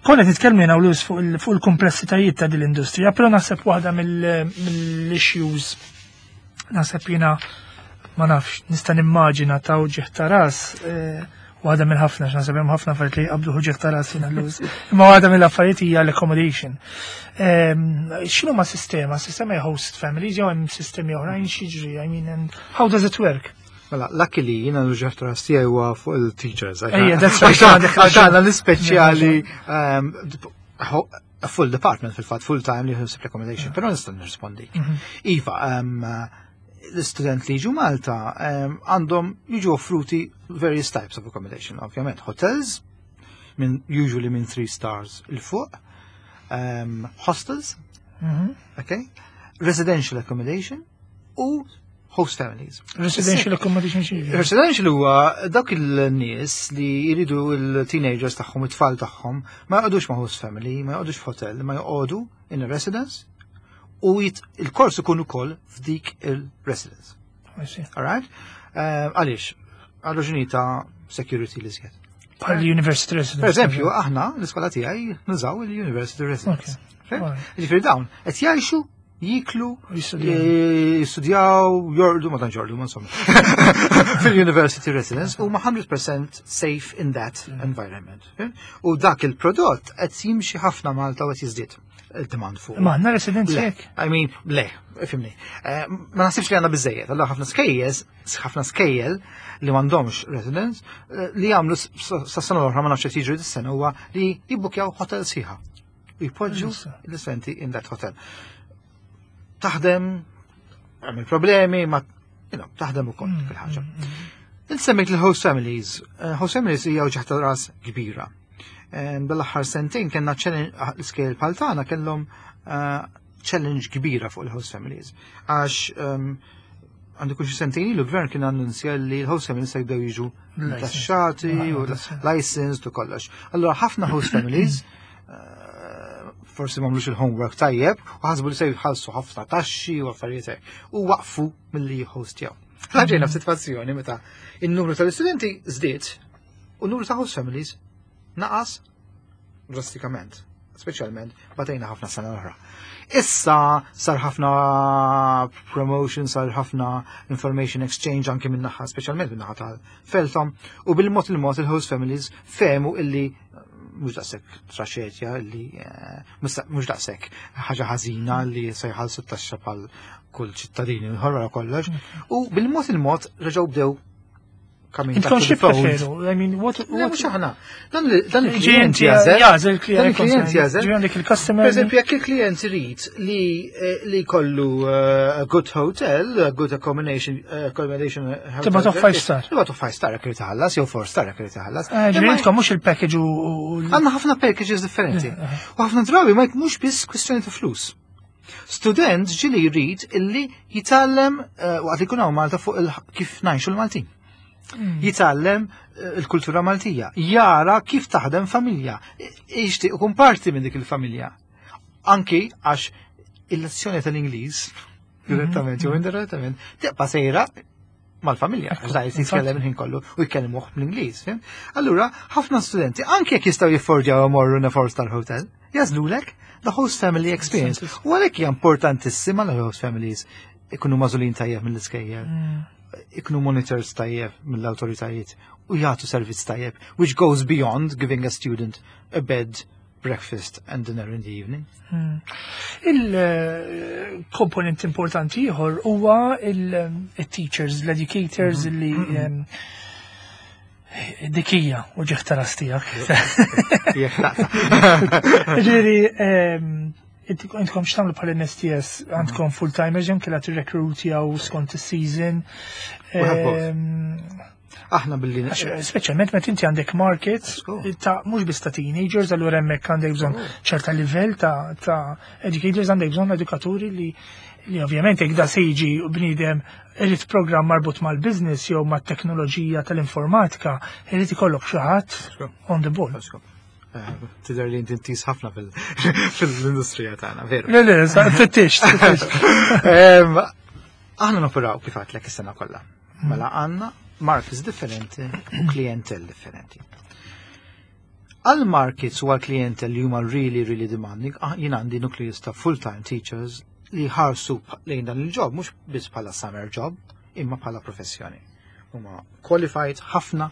Speaker 1: Konna nitkellmu jiena u Lewis fuq il-komplessitajiet ta' din l-industrija, però naħseb waħda mill-issues naħseb jiena ma nafx nista' nimmaġina ta' uġigħ ta' ras, waħda minn ħafna, x'naħseb hemm ħafna affarijiet li jqabdu uġigħ ta' ras jiena Lewis. Imma waħda mill-affarijiet hija l-accommodation. X'inhu ma' sistema? Sistema hija host families jew hemm sistemi oħrajn x'jiġri? I mean, and how does it work?
Speaker 2: Mela, luckily jiena l-uġigħ ta' ras tiegħi huwa fuq il-teachers.
Speaker 1: Ejja, that's right,
Speaker 2: Għax
Speaker 1: għandek
Speaker 2: għax għandna
Speaker 1: raġun.
Speaker 2: l-ispeċjali um, a full department fil-fatt, full time li jħossib accommodation, però nista' nirrispondi. Iva, um, l-student li jiġu Malta um, għandhom jiġu offruti various types of accommodation, ovvjament. Hotels, minn usually minn three stars 'il fuq, um, hostels,
Speaker 1: Mhm.
Speaker 2: okay, residential accommodation u host families.
Speaker 1: Residential accommodation xi?
Speaker 2: Residential huwa dak il-nies li jridu il-teenagers tagħhom, it-tfal tagħhom, ma joqogħdux ma' host family, ma joqogħdux f'hotel, ma joqogħdu in a residence u jit- il-kors ikun ukoll f'dik il-residence.
Speaker 1: I see.
Speaker 2: Alright? Eh, Għaliex? Għal raġuni ta' security li żjed.
Speaker 1: Bħal university residence.
Speaker 2: Per eżempju, aħna l-iskola tiegħi nużaw il-university residence.
Speaker 1: Okay. Alright.
Speaker 2: Ġifieri dawn qed jgħixu, jiklu,
Speaker 1: Jistudjaw.
Speaker 2: jistudjaw, jorqdu, ma tantx jorqdu, ma insomma. Fil-university residence u ma hundred percent safe in that environment. U dak il-prodott qed jimxi ħafna Malta u qed jiżdied il-demand fuq.
Speaker 1: Ma għandna residenzi
Speaker 2: Le,
Speaker 1: hekk.
Speaker 2: I mean, le, ifhimni. Eh, Ma naħsibx li għandna biżżejjed, allora ħafna skejjel, ħafna skejjel li m'għandhomx residence, eh, li jagħmlu s- sa sena l-oħra, ma nafx qed jiġri dis-sena, huwa li jibbukjaw hotel sħiħa. U jpoġġu
Speaker 1: Issa.
Speaker 2: l-istudenti in that hotel. Taħdem, għamil problemi, ma, you know, taħdem ukoll
Speaker 1: Mm,
Speaker 2: fil-ħaġa. Insemmik il-host families. Eh, Host families hija uġigħ ta' ras kbira. Eh, Dal-aħħar sentejn kellna challenge, l-iskejjel bħal tagħna kellhom eh, challenge kbira fuq il-host families. Għax ehm, għandu kull xi sentejn ilu l-gvern kien annunzja li l-host families se jibdew jiġu
Speaker 1: License.
Speaker 2: taxxati u
Speaker 1: Ah, that's it.
Speaker 2: licensed u kollox. Allora ħafna host families eh, forsi m'għamlux il-homework tajjeb u ħasbu li se jħallsu ħafna taxxi u affarijiet hekk u waqfu milli jhostjaw. Ġejna f'sitwazzjoni meta il-numru tal-istudenti żdied u n-numru ta' host families naqas drastikament. Speċjalment batejna ħafna sena l-oħra. Issa sar ħafna promotion, sar ħafna information exchange anke minn naħa, speċjalment minn naħa tal-FELTOM, u bil-mod il-mod il-host families fehmu illi eh, mhux daqshekk traċedja illi eh, mhux mhux daqshekk ħaġa ħażina li se jħallsu t-taxxa bħal kull ċittadini ħorra kollox. U bil-mod il-mod reġgħu bdew coming back
Speaker 1: Intkom
Speaker 2: to
Speaker 1: xi
Speaker 2: the fold.
Speaker 1: preferu? I mean, what
Speaker 2: Le,
Speaker 1: what
Speaker 2: mhux aħna. Dan il- dan il-klient
Speaker 1: Ġi
Speaker 2: jagħżel.
Speaker 1: Jagħżel il-klient.
Speaker 2: Dan il-klient jagħżel.
Speaker 1: Ġi għandek il-customer.
Speaker 2: Per eżempju, jekk il-klient irid li eh, li kollu eh, a good hotel, a good accommodation, eh, accommodation eh, hotel.
Speaker 1: Tibgħatu five star.
Speaker 2: Tibgħatu five star jekk irid iħallas, jew four star jekk irid iħallas.
Speaker 1: Eh, Ġifieri
Speaker 2: Imma
Speaker 1: intkom mhux il-package u u-
Speaker 2: għandna ħafna packages differenti. U ħafna drabi ma mhux biss kwistjoni ta' flus. Student ġieli jrid illi jitgħallem eh, waqt li jkun hawn Malta fuq il- kif ngħixu l-Maltin. Jitgħallem eh, il-kultura Maltija, jara kif taħdem familja, jixtieq ikun parti minn dik il-familja. Anki għax il-lezzjoni tal-Ingliż, direttament jew indirettament, tibqa' sejra mal-familja, għax da jitkellem il-ħin kollu u jkellmuh bl-Ingliż. Fhimt? Allura, ħafna studenti, anke jekk jistgħu jiffordjaw imorru in a four star hotel, jagħżlulek the host family experience. U għalhekk hija importantissima l host families ikunu magħżulin tajjeb mill-iskejjel, ikunu monitored tajjeb mill-awtoritajiet u jagħtu servizz tajjeb, which goes beyond giving a student a bed, breakfast and dinner in the evening.
Speaker 1: Il-komponent importanti ieħor huwa il-teachers, l-educators li em, dik hija uġigħ ta' ras tiegħek.
Speaker 2: Jekk taqta'.
Speaker 1: Ġifieri, em, intkom x'tagħmlu bħal N S T S, għandkom full-timers jew kellha tirrekrutjaw skont is-season?
Speaker 2: We have both.
Speaker 1: Em,
Speaker 2: Aħna billi
Speaker 1: Għax, speċjalment meta inti għandek market
Speaker 2: Żgur.
Speaker 1: ta' mhux biss ta' teenagers, allura hemmhekk għandek bżonn ċerta livell ta' ta' educators, għandek bżonn edukaturi li li ovvjament jekk da se jiġi bniedem irid programm marbut mal-business jew mat-teknoloġija tal-informatika, irid ikollok xi ħadd
Speaker 2: Żgur.
Speaker 1: on the ball.
Speaker 2: Eh, Tidher li inti intiż ħafna fil- fil-industrija tagħna, veru.
Speaker 1: Le, le, sa- fittix, fittix.
Speaker 2: Em, Aħna noperaw kif għedtlek is-sena kollha. Mela għandna markets differenti u klientel differenti. Għal markets u għal klientel li huma really, really demanding, ah, jien għandi nucleus ta' full-time teachers li ħarsu lejn dan il-job, mhux biss bħala summer job, imma bħala professjoni. Huma qualified ħafna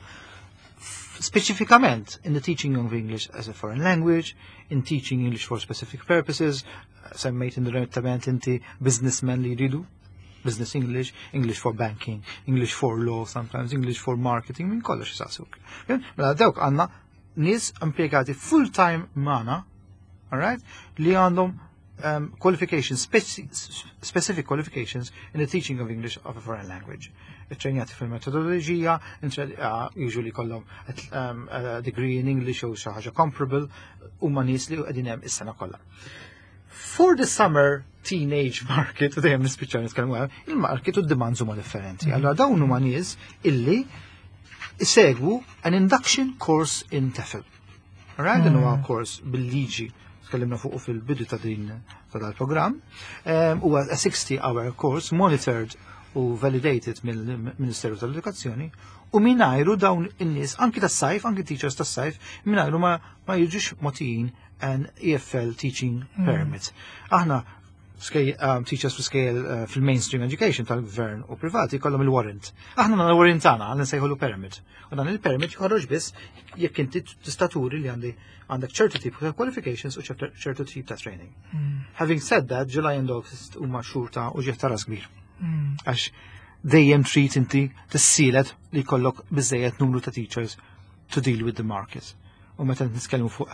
Speaker 2: speċifikament in the teaching of English as a foreign language, in teaching English for specific purposes, semmejt indirettament inti businessmen li jridu Business English, English for Banking, English for Law sometimes, English for Marketing, minn kollox jisaqsuk. Mela dawk għandna nies impjegati full-time magħna, alright, li għandhom um, qualifications, speci specific qualifications in the teaching of English of a foreign language. Training fil-metodoloġija, uh, usually kollhom um, a degree in English u xi ħaġa comparable, huma nies li qegħdin hemm is-sena kollha. For the summer teenage market, u dejjem nispiċċaw nitkellmu hemm, il-market u d-demands huma differenti. Allora dawn huma nies illi isegwu an induction course in TEFL. Alright, dan huwa course bil-liġi tkellimna fuq fil-bidu ta' din ta' dal-programm. Huwa a sixty hour course monitored u validated mill-Ministeru tal-Edukazzjoni u mingħajru dawn in-nies anki tas-sajf, anki teachers tas-sajf, mingħajru ma, ma jiġux mogħtijin an E F L teaching permit. Aħna skej, um, teachers fi scale uh, fil-mainstream education tal-gvern u privati kollhom il-warrant. Aħna għandna l-warrant tagħna għal nsejħulu permit. U dan il-permit joħroġ biss jekk inti tista' turi li għandi għandek ċertu tip ta' qualifications u ċertu tip ta' training. Having said that, July and August huma xhur ta' uġigħ ta' ras kbir. Għax dejjem trid inti tissielet li jkollok biżejjed numru ta' teachers to deal with the market. U meta nitkellmu fuq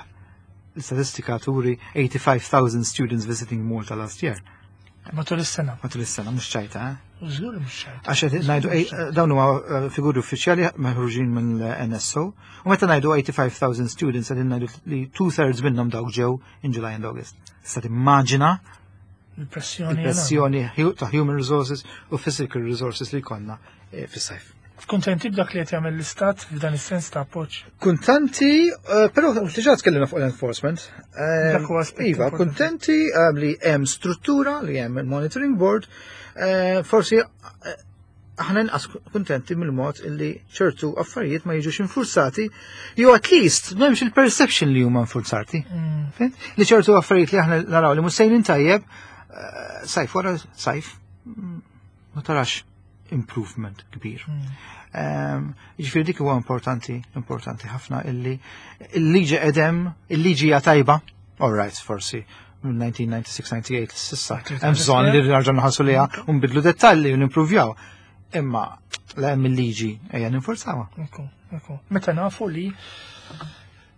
Speaker 2: l-istatistika turi eighty-five thousand students visiting Malta last year.
Speaker 1: Matul is-sena.
Speaker 2: Matul is-sena, mhux ċajta, eh?
Speaker 1: Żgur mhux ċajta.
Speaker 2: Għax qed ngħidu eh, dawn huma eh, figuri uffiċjali maħruġin mill-N S O. U meta ngħidu eighty-five thousand students, qegħdin ngħidu li two thirds minnhom dawk ġew in July and August. Tista' timmaġina
Speaker 1: Il-pressjoni.
Speaker 2: Il-pressjoni hu- ta' human resources u physical resources li jkollna eh, fis-sajf.
Speaker 1: Kuntenti b'dak li qed jagħmel l-istat f'dan is-sens ta' appoġġ?
Speaker 2: Kuntenti, eh, però diġà tkellimna fuq l-enforcement. Eh,
Speaker 1: Dak huwa aspett
Speaker 2: Iva,
Speaker 1: importanti.
Speaker 2: Kuntenti eh, li hemm struttura, li hemm il-monitoring board, eh, forsi eh, aħna inqas kuntenti mill-mod illi ċertu affarijiet ma jiġux infurzati, jew at least m'hemmx il-perception li huma infurzati. Fhimt? Li ċertu affarijiet li aħna naraw li mhux sejrin tajjeb, eh, sajf wara sajf, mm, ma tarax improvement kbir. Um, Ġifieri dik huwa importanti, importanti ħafna illi il-liġi edem, il-liġi hija tajba, all right, forsi minn elf disa' mija disgħa u disgħin disgħa u tmenin s'issa. Hemm bżonn li nerġgħu nħarsu lejha u nbidlu dettalji u nimprovjaw. Imma la hemm il-liġi, ejja ninforzawha.
Speaker 1: Ekku, ekku. Meta nafu li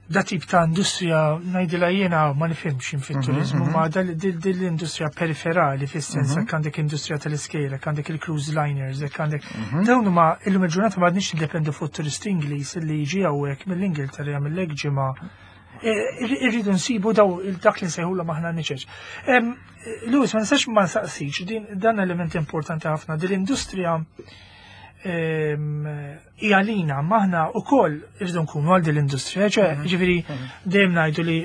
Speaker 1: da tip ta' industrija, ngħidilha jiena, ma nifhimx fit-turizmu, ma dal din din l-industrija periferali, fis-sens jekk għandek industrija tal-iskejjel, jekk għandek il-cruise liners, jekk għandek dawn huma illum il-ġurnata m'għadniex niddependu fuq turist Ingliż li jiġi hawnhekk mill-Ingilterra jagħmel ġimgħa. E, irridu nsibu daw dak li nsejħulhom aħna niċeċ. Em, Louis, ma nistax ma nsaqsix, din dan element importanti ħafna, din l-industrija em, hija lina, maħna wkoll irridu nkunu għal din l-industrija, ċe, ġifieri dejjem ngħidu li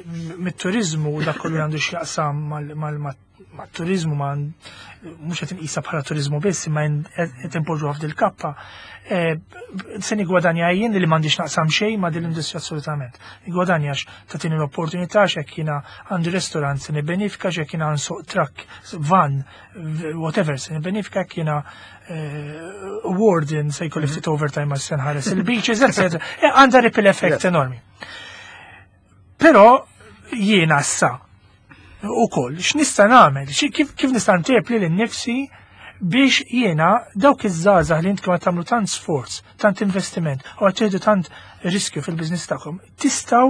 Speaker 1: mit-turizmu dak kollu li għandu x'jaqsam mal- mal- mat-turizmu, ma mhux qed inqisha bħala turizmu biss, imma qed inpoġġuha f'dil kappa. Eh, Se nigwadanja jien li m'għandix naqsam xejn ma' din l-industrija assolutament. Nigwadanja tagħtini l-opportunità x'hekk jiena għandi restaurant se nibbenifika, x'hekk jiena nsuq truck, van, whatever, se nibbenifika, jekk jiena eh, warden se jkolli ftit overtime għal se nħares il-beaches, et cetera. Eh, Għandha ripple effect enormi. Però jiena issa ukoll, x'nista' nagħmel? Xi- Kif, kif nista' ntejjeb lili nnifsi biex jiena dawk iż-żgħażagħ li intkom qed tagħmlu tant sforz, tant investiment u qed tieħdu tant riskju fil-business tagħkom, tistgħu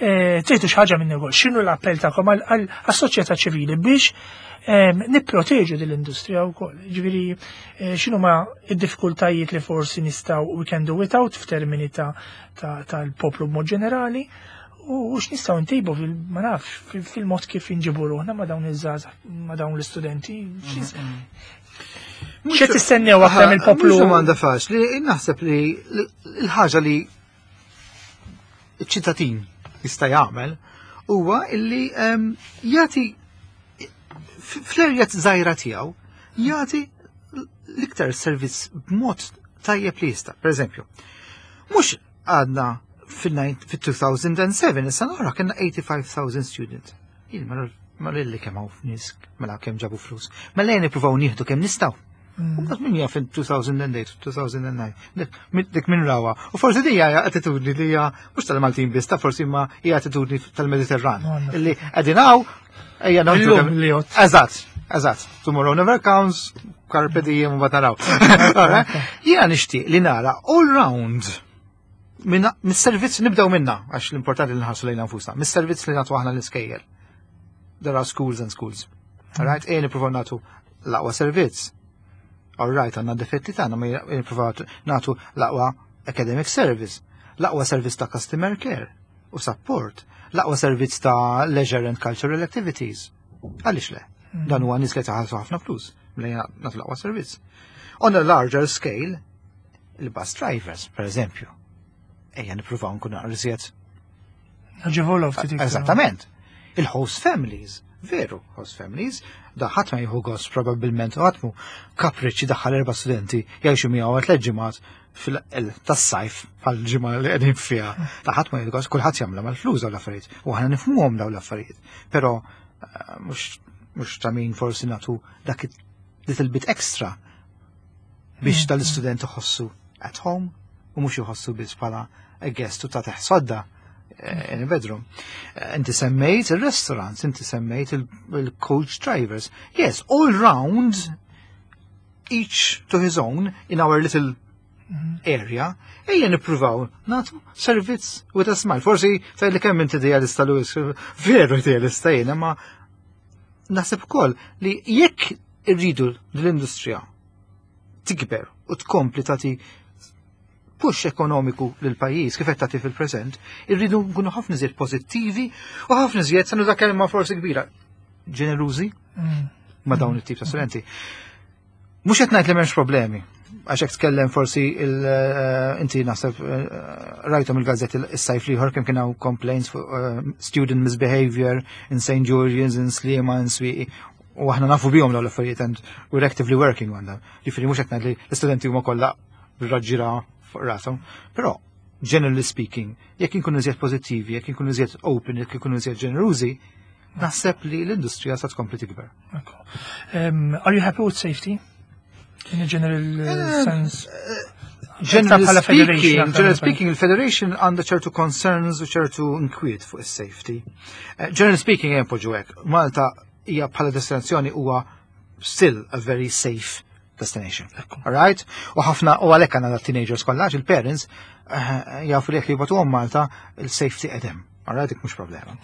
Speaker 1: eh, tieħdu xi ħaġa minn negozju. X'inhu l-appell tagħkom għal- għal- għas-soċjetà ċivili biex em, nipproteġu din l-industrija wkoll? Ġifieri eh, x'inhu ma id-diffikultajiet li forsi nistgħu we can do without f'termini ta' ta- tal-poplu b'mod ġenerali u x'nistgħu ntejbu fil ma nafx fil- fil-mod kif inġibu ruħna ma' dawn iż-żgħażagħ, ma' dawn l-istudenti. X'qed tistennew aktar mill-poplu?
Speaker 2: Mhux domanda faċli, naħseb li l-ħaġa li ċ-ċittadin jista' jagħmel huwa illi em, jagħti fl-erja żgħira tiegħu, jagħti l-iktar servizz b'mod tajjeb li jista'. Per eżempju, mhux għadna fil-elfejn u sebgħa, is-sena oħra kellna eighty-five thousand student. Jien ma ma lilli kemm hawn nies, mela kemm ġabu flus. Mela jien nippruvaw nieħdu kemm nistgħu. U mbagħad min jaf fil-elfejn u tmienja, elfejn u disgħa, dik dik min rawa. U forsi di hija attitudni li hija mhux tal-Maltin biss, ta' forsi ma hija attitudni tal-Mediterran.
Speaker 1: Għandna.
Speaker 2: Illi qegħdin hawn, ejja naħdu
Speaker 1: Illum
Speaker 2: kemm-
Speaker 1: li jgħod.
Speaker 2: Eżatt, Eżatt, tomorrow never comes, carpe diem u naraw. Jiena nixtieq li nara all round mis-servizz nibdew minna, għax l-importanti li nħarsu lejna nfusna, mis-servizz li nagħtu aħna l-iskejjel. There are schools and schools. All right, ejja nippruvaw nagħtu l-aqwa servizz. All right, għandna difetti tagħna, ma nippruvaw nagħtu l-aqwa academic service, l-aqwa servizz ta' customer care u support, l-aqwa servizz ta' leisure and cultural activities. Għaliex le? Mm. Dan huwa nies li taħallsu ħafna flus, mela nagħtu l-aqwa servizz. On a larger scale, il-bus drivers, per eżempju. Ejja nippruvaw nkunu iżjed.
Speaker 1: Naġevolaw ftit.
Speaker 2: Eżattament. Il-host families, veru, host families, da ħadd ma jieħu gost probabbilment u ħadd mu kapriċċi daħħal erba' studenti jgħixu miegħu għal tliet ġimgħat tas-sajf bħal ġimgħa li qegħdin fiha. Ta' ħadd ma jieħu gost, kulħadd jagħmilha mal-flus dawn l-affarijiet. U aħna nifhmuhom dawn l-affarijiet. Però eh, mhux mhux ta' min forsi nagħtu dak little bit extra biex mm. tal-istudent iħossu at home u mhux iħossu biss bħala a guest u ta' sodda eh, in a bedroom. Eh, inti semmejt il-restaurants, inti semmejt il-coach drivers. Yes, all round, each to his own, in our little mhm. area, ejja nippruvaw nagħtu servizz with a smile. Forsi tgħid li kemm inti idealista, Louis, veru idealista jiena, ma naħseb ukoll li jekk irridu l-industrija tikber u tkompli tagħti push ekonomiku lil pajjiż kif qed tagħti fil-preżent, irridu nkunu ħafna iżjed pożittivi u ħafna iżjed, sa nuża kelma forsi kbira, ġenerużi mm. ma' dawn it-tip ta' studenti. Mhux qed ngħid li m'hemmx problemi, għax hekk tkellem forsi eh, inti naħseb eh, rajthom il-gazzetti is-sajf l-ieħor kemm kien hawn complaints fuq eh, student misbehavior in Saint Julian's, in Sliema, in Swieqi, u aħna nafu bihom dawn l-affarijiet and we're actively working on them. Jiġifieri mhux qed ngħid li l-istudenti huma kollha raġġira fuq rashom, però generally speaking, jekk inkunu iżjed pożittivi, jekk inkunu iżjed open, jekk inkunu iżjed ġenerużi, naħseb li l-industrija sa tkompli tikber.
Speaker 1: Um, are you happy with safety? In a general uh, sense?
Speaker 2: Generally speaking, generally speaking, il-Federation għandha ċertu concerns u ċertu inkwiet fuq is-safety. Uh, generally speaking, ejja npoġġu hekk, Malta hija bħala destinazzjoni huwa still a very safe destination. All right? U ħafna u għalhekk għandna teenagers kollha, il-parents eh, jafu li jekk jibagħtuhom Malta il-safety qegħdem. All right, dik mhux problema.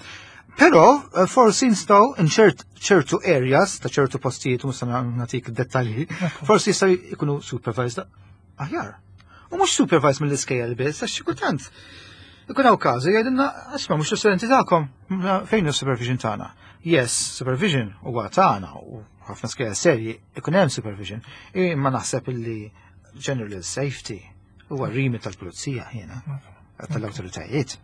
Speaker 2: Però eh, forsi nistgħu in ċertu areas ta' ċertu postijiet, mhux nagħtik dettalji, forsi jistgħu jkunu supervised aħjar. U mhux supervised mill-iskejjel biss, għax xi kultant ikun hawn każi jgħidilna, "Isma', mhux l-istudenti tagħkom, fejn hu supervision tagħna?" Yes, supervision huwa tagħna u ħafna skejjel serji ikun hemm supervision, imma naħseb illi general safety huwa remit tal-pulizija jiena, tal-awtoritajiet,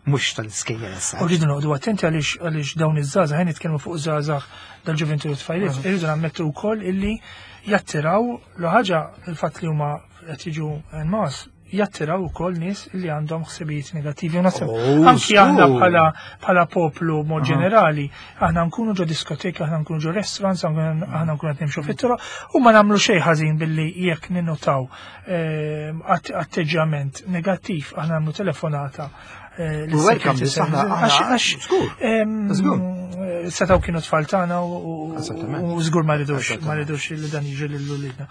Speaker 2: mhux tal-iskejjel issa.
Speaker 1: U rridu noqogħdu attenti għaliex għaliex dawn iż-żgħażagħ, ħin nitkellmu fuq żgħażagħ dal-ġuventu tfajliet, irridu nammettu wkoll illi jattiraw l ħaġa il-fatt li huma qed jiġu en masse jattiraw ukoll nies li għandhom ħsibijiet negattivi. U naħseb
Speaker 2: Oh,
Speaker 1: anki aħna
Speaker 2: żgur.
Speaker 1: bħala bħala poplu mod ġenerali, aħna nkunu ġo diskoteka, aħna nkunu ġo restaurants, aħna aħna nkunu qed nimxu fit-toroq u ma nagħmlu xejn ħażin billi jekk ninnotaw ehm, att- atteġġjament negattiv, aħna nagħmlu telefonata eh,
Speaker 2: We welcome
Speaker 1: lis-security
Speaker 2: this, aħna-
Speaker 1: services. Għax-
Speaker 2: aħna-
Speaker 1: għax,
Speaker 2: żgur,
Speaker 1: ehm,
Speaker 2: żgur.
Speaker 1: Setgħu kienu tfal tagħna u- u
Speaker 2: Eżattament.
Speaker 1: u żgur ma ridux ma
Speaker 2: Eżattament.
Speaker 1: ridux li dan jiġri lil uliedna.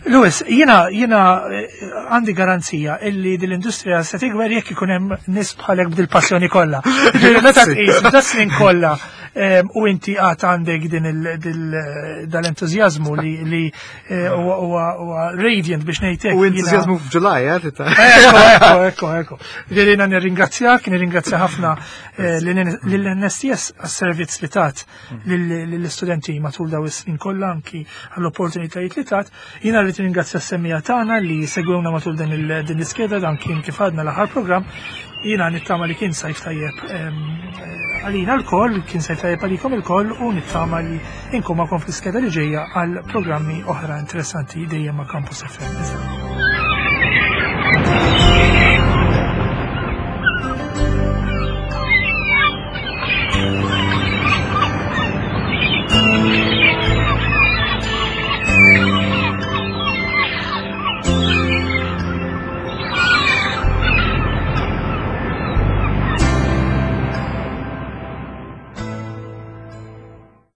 Speaker 1: Louis, jiena jiena eh, għandi garanzija illi dil-industrija se tikber jekk ikun hemm nies bħalek b'dil-passjoni kollha. Ġifieri meta tqis da snin kollha em, u inti għad għandek din il- dil- dal-entużjażmu li li eh, huwa huwa- huwa radiant biex ngħidlek.
Speaker 2: U
Speaker 1: jiena-
Speaker 2: entużjażmu f'Ġulaj, eh, tita.
Speaker 1: Ekko, ekko, ekko, ekko. Ġifieri jiena nirringrazzjak, nirringrazzja ħafna eh, lill-N S T S għas-servizz li tat lill-istudenti matul daw is-snin kollha, anki għall-opportunitajiet li tat. Jiena rrid nirringrazzja s-semmiegħa tagħna li segwewna matul din il- din l-iskeda, dan kien kif għadna l-aħħar programm. Jiena nittama li kien sajf tajjeb em, eh, għalina lkoll, kien sajf tajjeb għalikom ilkoll u nittama li inkun magħkom fl-iskeda li ġejja għal programmi oħra interessanti dejjem ma' Campus F M.